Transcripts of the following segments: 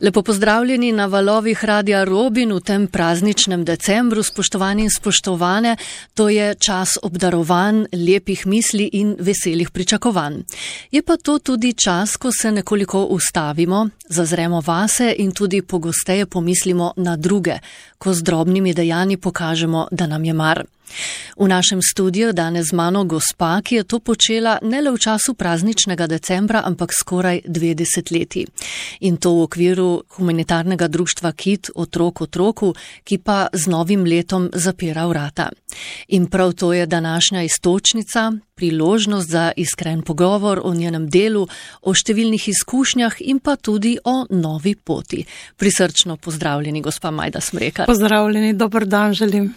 Lepo pozdravljeni na valovih Radia Robin v tem prazničnem decembru, spoštovani in spoštovane. To je čas obdarovanj, lepih misli in veselih pričakovanj. Je pa to tudi čas, ko se nekoliko ustavimo, zazremo vase in tudi pogosteje pomislimo na druge, ko z drobnimi dejanji pokažemo, da nam je mar. V našem studiu danes z mano gospa, ki je to počela ne le v času prazničnega decembra, ampak skoraj 2 desetletji. In to v okviru humanitarnega društva KIT Otrok otroku, ki pa z novim letom zapira vrata. In prav to je današnja iztočnica, priložnost za iskren pogovor o njenem delu, o številnih izkušnjah in pa tudi o novi poti. Prisrčno pozdravljeni, gospa Majda Smrekar. Pozdravljeni, dober dan želim.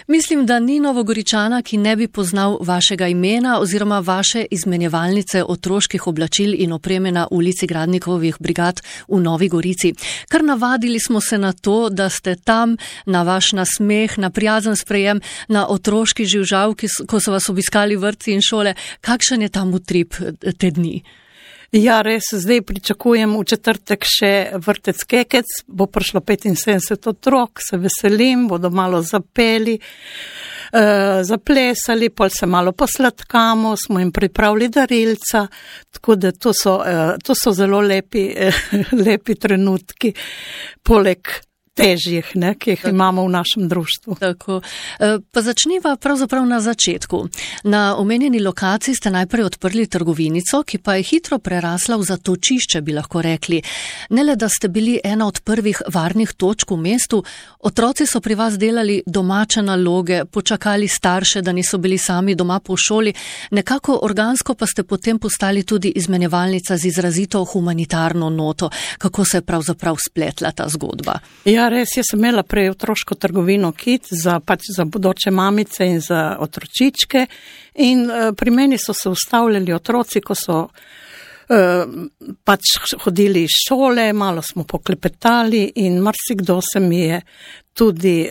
Mislim, da ni Novogoričana, ki ne bi poznal vašega imena oziroma vaše izmenjevalnice otroških oblačil in opreme na ulici Gradnikovih brigad v Novi Gorici. Kar navadili smo se na to, da ste tam, na vaš nasmeh, na prijazen sprejem, na otroški živžav, ko so vas obiskali vrtci in šole. Kakšen je tam utrip te dni? Ja, res, zdaj pričakujem v četrtek še vrtec Kekec, bo prišlo 75 otrok, se veselim, bodo malo zapeli, zaplesali, pol se malo posladkamo, smo jim pripravili darilca, tako da to so zelo lepi trenutki, poleg težjih, ki jih imamo v našem društvu. Tako. Pa začniva pravzaprav na začetku. Na omenjeni lokaciji ste najprej odprli trgovinico, ki pa je hitro prerasla v zatočišče, bi lahko rekli. Ne le, da ste bili ena od prvih varnih točk v mestu, otroci so pri vas delali domače naloge, počakali starše, da niso bili sami doma po šoli, nekako organsko pa ste potem postali tudi izmenjevalnica z izrazito humanitarno noto. Kako se je pravzaprav spletla ta zgodba? Ja, res, jaz sem imela prej otroško trgovino KIT za bodoče mamice in za otročičke in pri meni so se ustavljali otroci, ko so hodili iz šole, malo smo poklepetali in marsikdo se mi je tudi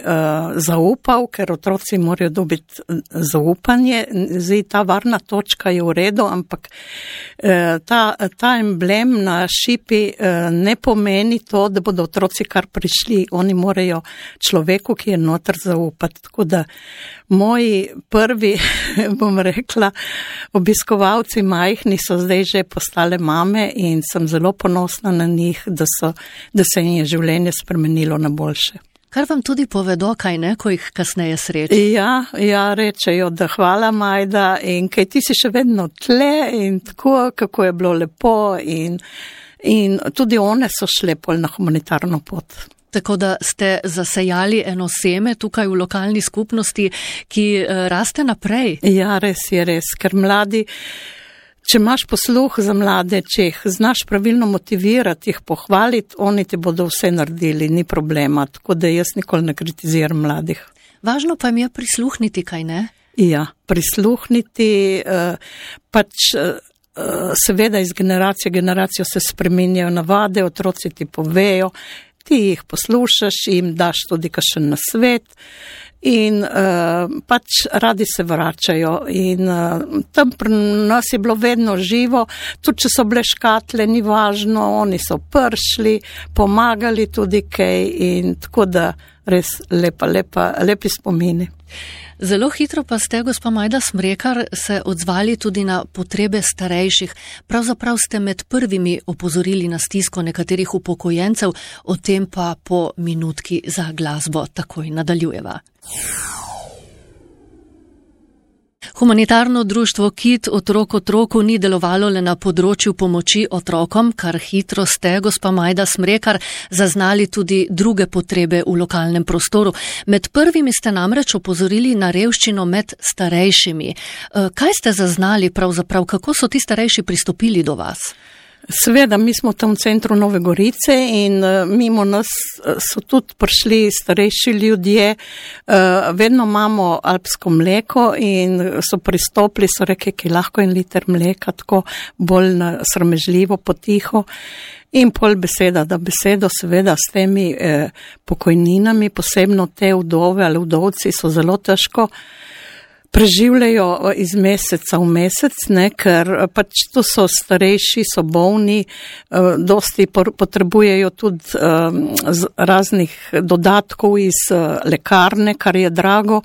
zaupal, ker otroci morajo dobiti zaupanje. Zdaj ta varna točka je v redu, ampak ta emblem na šipi ne pomeni to, da bodo otroci kar prišli. Oni morajo človeku, ki je noter, zaupati. Tako da moji prvi, bom rekla, obiskovalci majhni so zdaj že postale mame in sem zelo ponosna na njih, da se jim je življenje spremenilo na boljše. Kar vam tudi povedo, kaj ne, ko jih kasneje sreči? Ja, rečejo, da hvala Majda in kaj ti si še vedno tle in tako, kako je bilo lepo in tudi one so šle pol na humanitarno pot. Tako da ste zasejali eno seme tukaj v lokalni skupnosti, ki raste naprej. Ja, res je, ker mladi, če imaš posluh za mlade, če jih znaš pravilno motivirati, jih pohvaliti, oni ti bodo vse naredili, ni problema, tako da jaz nikoli ne kritiziram mladih. Važno pa jim je prisluhniti, kaj ne? Ja, prisluhniti, seveda iz generacije v generacijo se spreminjajo navade, otroci ti povejo, ti jih poslušaš, jim daš tudi kakšen nasvet in radi se vračajo in tam pri nas je bilo vedno živo, tudi če so bile škatle, ni važno, oni so prišli, pomagali tudi kaj in tako da res lepi spomini. Zelo hitro pa ste, gospa Majda Smrekar, se odzvali tudi na potrebe starejših. Pravzaprav ste med prvimi opozorili na stisko nekaterih upokojencev, o tem pa po minutki za glasbo takoj nadaljujeva. Humanitarno društvo KIT Otrok otroku ni delovalo le na področju pomoči otrokom, kar hitro ste, gospa Majda Smrekar, zaznali tudi druge potrebe v lokalnem prostoru. Med prvimi ste namreč opozorili na revščino med starejšimi. Kaj ste zaznali pravzaprav, kako so ti starejši pristopili do vas? Seveda, mi smo tam v centru Nove Gorice in mimo nas so tudi prišli starejši ljudje, vedno imamo alpsko mleko in so pristopili, so rekli, ki lahko 1 liter mleka, tako bolj sramežljivo, potiho. In pol beseda, da besedo seveda s temi pokojninami, posebno te vdove ali vdovci so zelo težko preživljajo iz meseca v mesec, ne, ker pač to so starejši, so bolni, dosti potrebujejo tudi raznih dodatkov iz lekarne, kar je drago.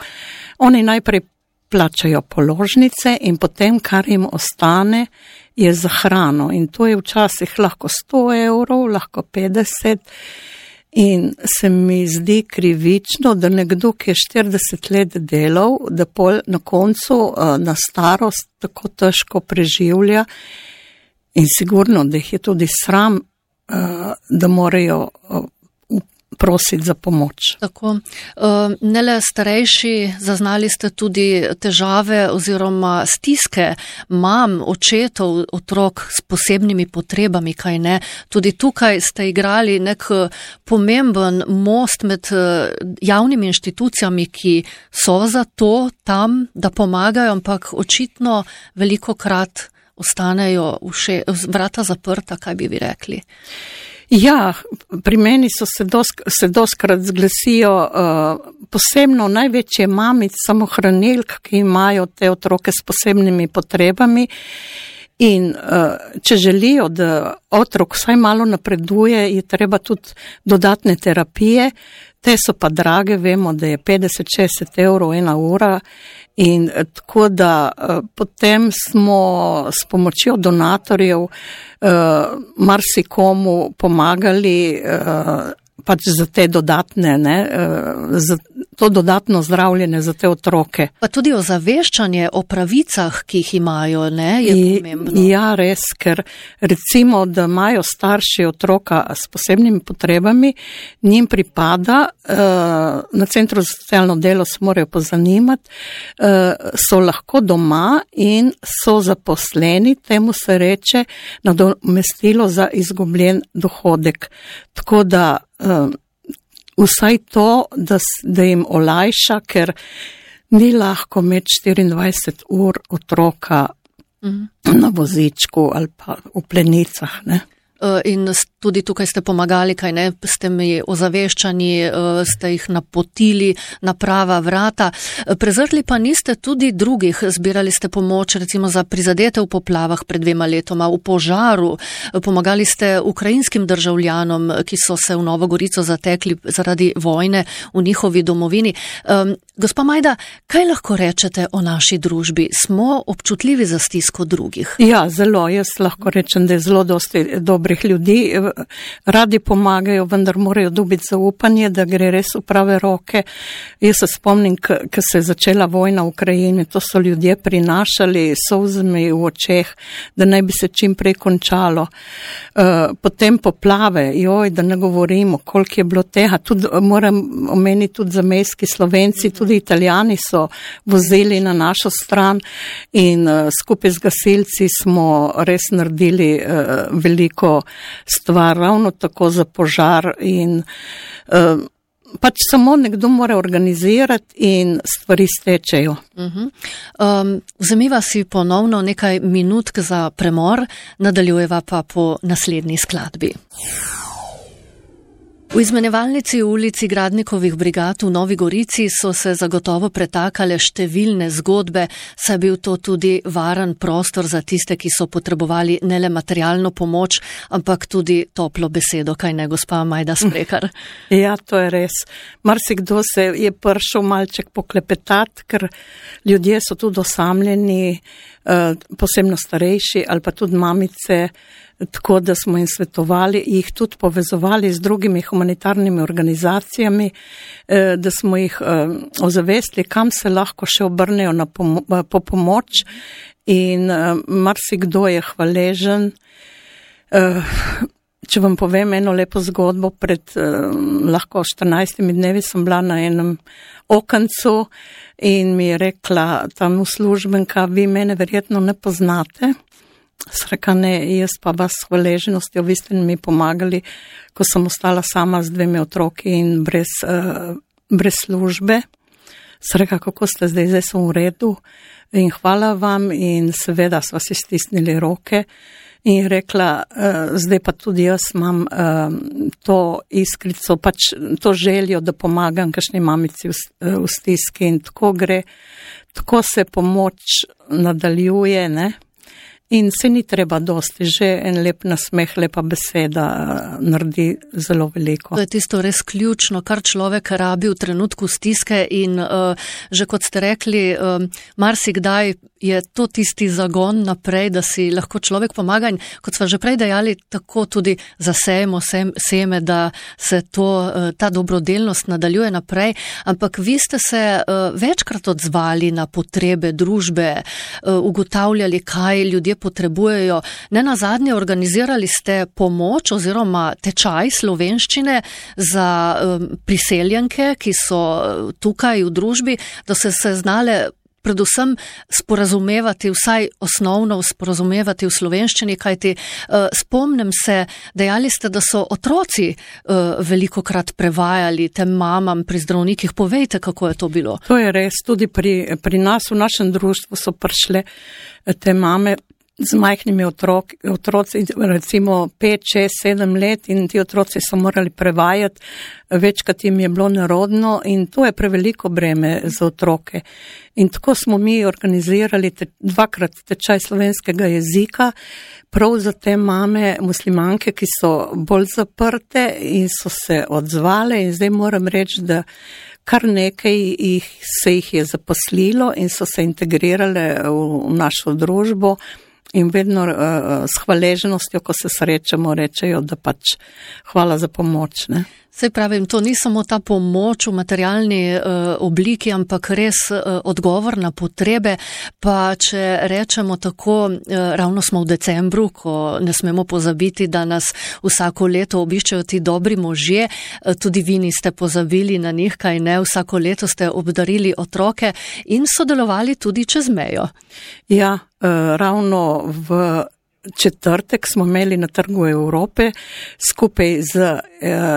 Oni najprej plačajo položnice in potem, kar jim ostane, je za hrano. In to je včasih lahko 100 evrov, lahko 50. In se mi zdi krivično, da nekdo, ki je 40 let delal, da pol na koncu na starost tako težko preživlja in sigurno, da jih je tudi sram, da morajo prositi za pomoč. Tako. Ne le starejši, zaznali ste tudi težave oziroma stiske mam, očetov, otrok s posebnimi potrebami, kaj ne. Tudi tukaj ste igrali nek pomemben most med javnimi inštitucijami, ki so za to tam, da pomagajo, ampak očitno velikokrat ostanejo vrata zaprta, kaj bi vi rekli? Ja, pri meni se doskrat zglasijo posebno največje mamic, samohranilk, ki imajo te otroke s posebnimi potrebami in če želijo, da otrok vsaj malo napreduje, je treba tudi dodatne terapije. Te so pa drage, vemo, da je 50-60 evrov 1 ura in tako da potem smo s pomočjo donatorjev marsikomu pomagali pač za te dodatne, za to dodatno zdravljenje za te otroke. Pa tudi ozaveščanje o pravicah, ki jih imajo, je pomembno. Ja, res, ker recimo, da imajo starši otroka s posebnimi potrebami, njim pripada, na Centru za socialno delo se morajo pozanimati, so lahko doma in so zaposleni, temu se reče nadomestilo za izgubljen dohodek. Tako da vsaj to, da jim olajša, ker ni lahko imeti 24 ur otroka na vozičku ali pa v plenicah, ne. In tudi tukaj ste pomagali, kaj ne, ste mi ozaveščani, ste jih napotili na prava vrata. Prezrli pa niste tudi drugih, zbirali ste pomoč recimo za prizadete v poplavah pred 2 letoma, v požaru, pomagali ste ukrajinskim državljanom, ki so se v Novo Gorico zatekli zaradi vojne v njihovi domovini. Gospa Majda, kaj lahko rečete o naši družbi? Smo občutljivi za stisko drugih? Ja, zelo. Jaz lahko rečem, da je zelo dosti dobrih ljudi, radi pomagajo, vendar morajo dobiti zaupanje, da gre res v prave roke. Jaz se spomnim, ko se je začela vojna v Ukrajini, to so ljudje prinašali solzami v očeh, da naj bi se čim prej končalo. Potem poplave, da ne govorimo, koliko je bilo tega. Tudi, moram omeniti tudi zamejski Slovenci, tudi Italijani so vozili na našo stran in skupaj z gasilci smo res naredili veliko stvar, ravno tako za požar in pač samo nekdo mora organizirati in stvari stečejo. Vzemiva si ponovno nekaj minutk za premor, nadaljujeva pa po naslednji skladbi. V izmenjevalnici v ulici Gradnikovih brigad v Novi Gorici so se zagotovo pretakale številne zgodbe, saj bil to tudi varen prostor za tiste, ki so potrebovali ne le materialno pomoč, ampak tudi toplo besedo, kaj ne, gospa Majda Smrekar? Ja, to je res. Marsikdo se je prišel malček poklepetati, ker ljudje so tudi osamljeni, posebno starejši ali pa tudi mamice, tako da smo jim svetovali, jih tudi povezovali z drugimi humanitarnimi organizacijami, da smo jih ozavestili, kam se lahko še obrnejo po pomoč in marsikdo je hvaležen. Če vam povem eno lepo zgodbo, pred lahko 14 dnevi sem bila na enem okencu in mi je rekla tam uslužbenka, vi mene verjetno ne poznate. Sreka ne, jaz pa vas s hvaležnostjo, vi ste mi pomagali, ko sem ostala sama z 2 otroki in brez službe. Sreka, kako ste zdaj sem v redu in hvala vam in seveda sva si stisnili roke. In rekla, zdaj pa tudi jaz imam to iskrico, pač to željo, da pomagam kakšni mamici v stiski in tako gre. tako se pomoč nadaljuje, ne? In se ni treba dosti, že en lep nasmeh, lepa beseda naredi zelo veliko. To je tisto res ključno, kar človek rabi v trenutku stiske in že kot ste rekli, marsikdaj je to tisti zagon naprej, da si lahko človek pomaga in kot sva že prej dejali, tako tudi zasejemo seme, da se ta dobrodelnost nadaljuje naprej, ampak vi ste se večkrat odzvali na potrebe družbe, ugotavljali, kaj ljudje potrebujejo. Nenazadnje organizirali ste pomoč oziroma tečaj slovenščine za priseljenke, ki so tukaj v družbi, da se znale predvsem sporazumevati, vsaj osnovno sporazumevati v slovenščini, kajti spomnim se, dejali ste, da so otroci velikokrat prevajali tem mamam pri zdravnikih. Povejte, kako je to bilo. To je res, tudi pri nas, v našem društvu so prišle te mame z majhnimi otroci, recimo 5, 6, 7 let in ti otroci so morali prevajati, večkrat jim je bilo nerodno in to je preveliko breme za otroke. In tako smo mi organizirali 2krat tečaj slovenskega jezika, prav za te mame muslimanke, ki so bolj zaprte in so se odzvale in zdaj moram reči, da kar nekaj se jih je zaposlilo in so se integrirale v našo družbo. In vedno s hvaležnostjo, ko se srečamo, rečejo, da pač hvala za pomoč. Ne? Saj pravim, to ni samo ta pomoč v materialni obliki, ampak res odgovor na potrebe. Pa če rečemo tako, ravno smo v decembru, ko ne smemo pozabiti, da nas vsako leto obiščajo ti dobri možje, tudi vi niste pozabili na njih, kaj ne, vsako leto ste obdarili otroke in sodelovali tudi čez mejo. Ja, ravno v četrtek smo imeli na Trgu Evrope skupaj z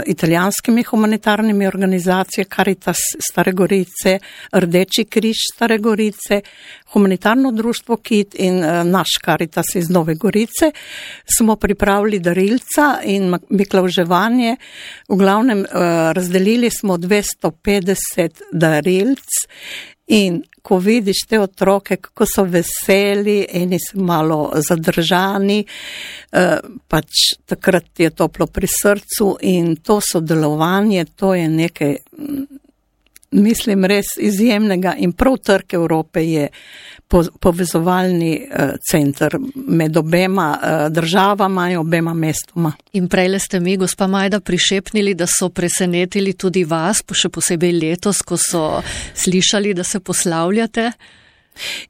italijanskimi humanitarnimi organizacijami Caritas Stare Gorice, Rdeči križ Stare Gorice, humanitarno društvo KIT in naš Caritas iz Nove Gorice. Smo pripravili darilca in miklavževanje. V glavnem razdelili smo 250 darilc. In ko vidiš te otroke, kako so veseli, eni so malo zadržani, pač takrat je toplo pri srcu in to sodelovanje, to je nekaj, mislim, res izjemnega in prav Trg Evrope je povezovalni center med obema državama in obema mestoma. In prejle ste mi, gospa Majda, prišepnili, da so presenetili tudi vas, še posebej letos, ko so slišali, da se poslavljate.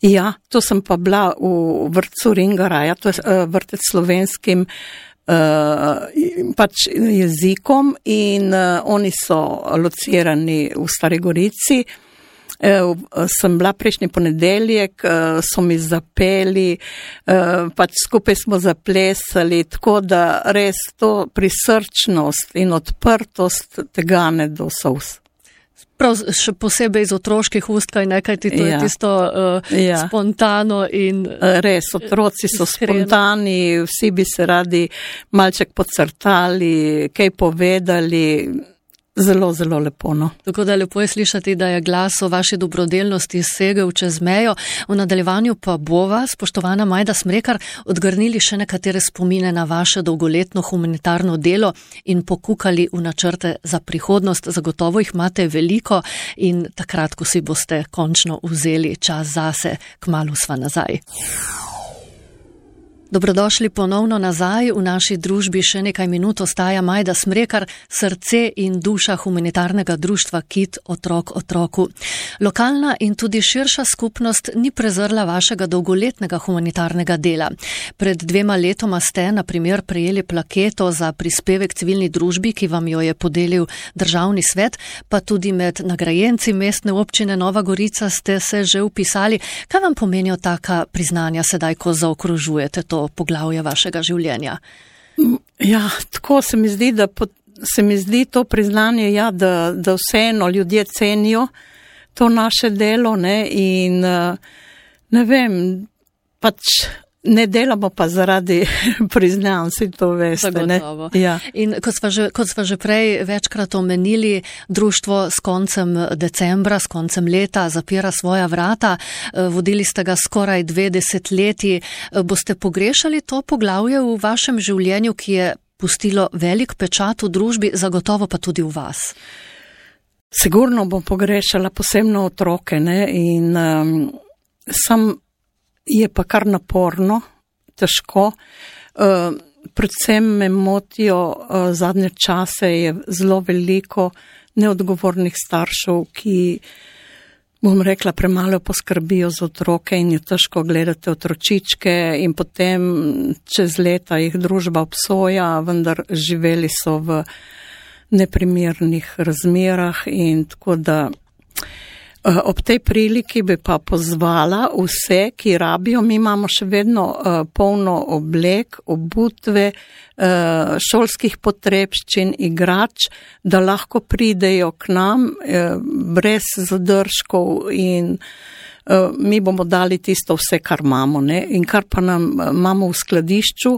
Ja, to sem pa bila v vrtcu Ringaraja, to je vrtec slovenskim pač jezikom in oni so locirani v Stari Gorici. Sem bila prejšnji ponedeljek, so mi zapeli, pač skupaj smo zaplesali, tako da res to prisrčnost in odprtost tega ne do solz. Prav še posebej iz otroških ust, kaj nekaj ti to je tisto spontano in res, otroci so spontani, vsi bi se radi malček podcrtali, kaj povedali. Zelo, zelo lepo, no. Tako da lepo je slišati, da je glas o vaši dobrodelnosti segel čez mejo. V nadaljevanju pa bova, spoštovana Majda Smrekar, odgrnili še nekatere spomine na vaše dolgoletno humanitarno delo in pokukali v načrte za prihodnost. Zagotovo jih imate veliko in takrat, ko si boste končno vzeli čas zase, kmalu sva nazaj. Dobrodošli ponovno nazaj. V naši družbi še nekaj minut ostaja Majda Smrekar, srce in duša humanitarnega društva KIT Otrok otroku. Lokalna in tudi širša skupnost ni prezrla vašega dolgoletnega humanitarnega dela. Pred 2 letoma ste, na primer, prejeli plaketo za prispevek civilni družbi, ki vam jo je podelil Državni svet, pa tudi med nagrajenci mestne občine Nova Gorica ste se že vpisali. Kaj vam pomenijo taka priznanja sedaj, ko zaokrožujete to poglavje vašega življenja? Ja, tako se mi zdi, da se mi zdi to priznanje, ja, da vseeno ljudje cenijo to naše delo, ne, in ne vem, pač Ne delamo pa zaradi priznanj, si to veste. Zagotovo. Ja. In kot sva že prej večkrat omenili, društvo s koncem decembra, s koncem leta zapira svoja vrata. Vodili ste ga skoraj 2 desetletji. Boste pogrešali to poglavje v vašem življenju, ki je pustilo velik pečat v družbi, zagotovo pa tudi v vas? Sigurno bom pogrešala posebno otroke, ne? In sam je pa kar naporno, težko. Predvsem me motijo zadnje čase, je zelo veliko neodgovornih staršev, ki, bom rekla, premalo poskrbijo za otroke in je težko gledati otročičke in potem čez leta jih družba obsoja, vendar živeli so v neprimernih razmerah in tako da ob tej priliki bi pa pozvala vse, ki rabijo, mi imamo še vedno polno oblek, obutve, šolskih potrebščin, igrač, da lahko pridejo k nam brez zadržkov in mi bomo dali tisto vse, kar imamo, ne? In kar pa nam imamo v skladišču,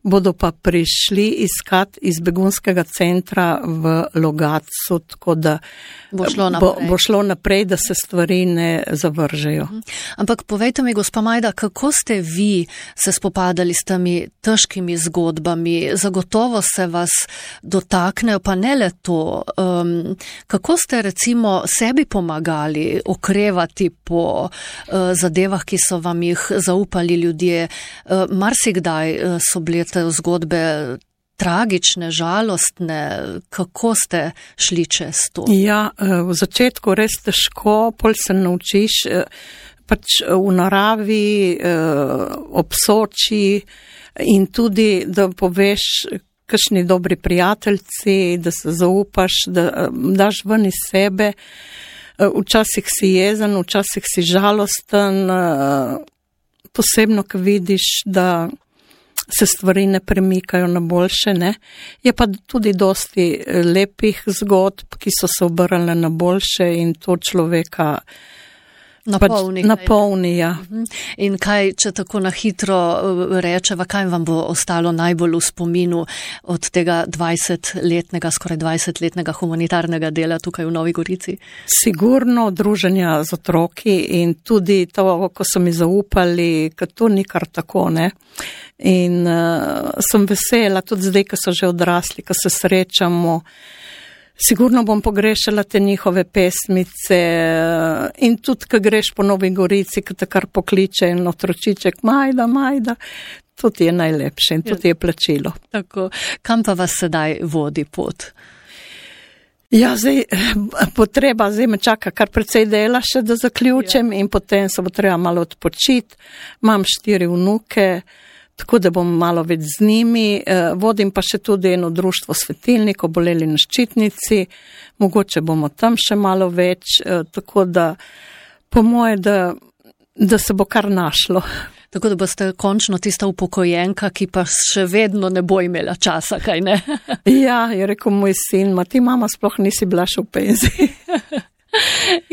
bodo pa prišli iskat iz begunskega centra v Logatcu, tako da bo šlo naprej, da se stvari ne zavržejo. Ampak povejte mi, gospa Majda, kako ste vi se spopadali s temi težkimi zgodbami? Zagotovo se vas dotaknejo, pa ne le to. Kako ste recimo sebi pomagali okrevati po zadevah, ki so vam jih zaupali ljudje? Marsikdaj so bile te zgodbe tragične, žalostne. Kako ste šli čez to? Ja, v začetku res težko, pol se naučiš pač v naravi, ob Soči in tudi, da poveš kakšni dobri prijateljci, da se zaupaš, da daš ven iz sebe. Včasih si jezen, včasih si žalosten, posebno, ko vidiš, da se stvari ne premikajo na boljše, ne. Je pa tudi dosti lepih zgodb, ki so se obrnile na boljše in to človeka napolni, ja. In kaj, če tako na hitro rečeva, kaj vam bo ostalo najbolj v spominu od tega 20-letnega, skoraj 20-letnega humanitarnega dela tukaj v Novi Gorici? Sigurno druženja z otroki in tudi to, ko so mi zaupali, ker to ni kar tako, ne. In sem vesela, tudi zdaj, ko so že odrasli, ko se srečamo. Sigurno bom pogrešala te njihove pesmice in tudi, ko greš po Novi Gorici, ko te kar pokliče en otročiček, Majda, Majda, to ti je najlepše in to ti je plačilo. Tako, kam pa vas sedaj vodi pot? Ja, zdaj me čaka kar precej dela še, da zaključim in potem se bo treba malo odpočiti. Imam 4 vnuke, tako da bom malo več z njimi. Vodim pa še tudi eno društvo svetilnikov, Boleli na ščitnici. Mogoče bomo tam še malo več, tako da po moje, da se bo kar našlo. Tako da boste končno tista upokojenka, ki pa še vedno ne bo imela časa, kaj ne? Ja, je rekel moj sin, ti mama sploh nisi bila še v penziji.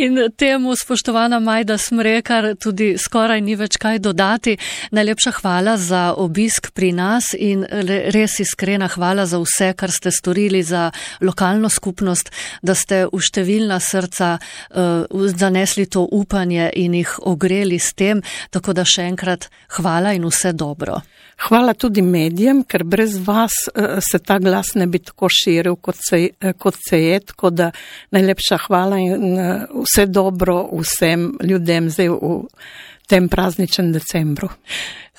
In temu, spoštovana Majda Smrekar, tudi skoraj ni več kaj dodati. Najlepša hvala za obisk pri nas in res iskrena hvala za vse, kar ste storili za lokalno skupnost, da ste v številna srca zanesli to upanje in jih ogreli s tem, tako da še enkrat hvala in vse dobro. Hvala tudi medijem, ker brez vas se ta glas ne bi tako širil, kot se je, tako da najlepša hvala in vse dobro vsem ljudem zdaj v tem prazničnem decembru.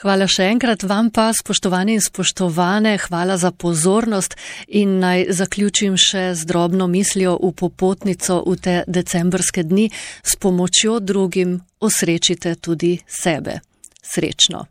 Hvala še enkrat vam pa, spoštovani in spoštovane, hvala za pozornost in naj zaključim še z drobno mislijo v popotnico v te decembrske dni. S pomočjo drugim osrečite tudi sebe. Srečno.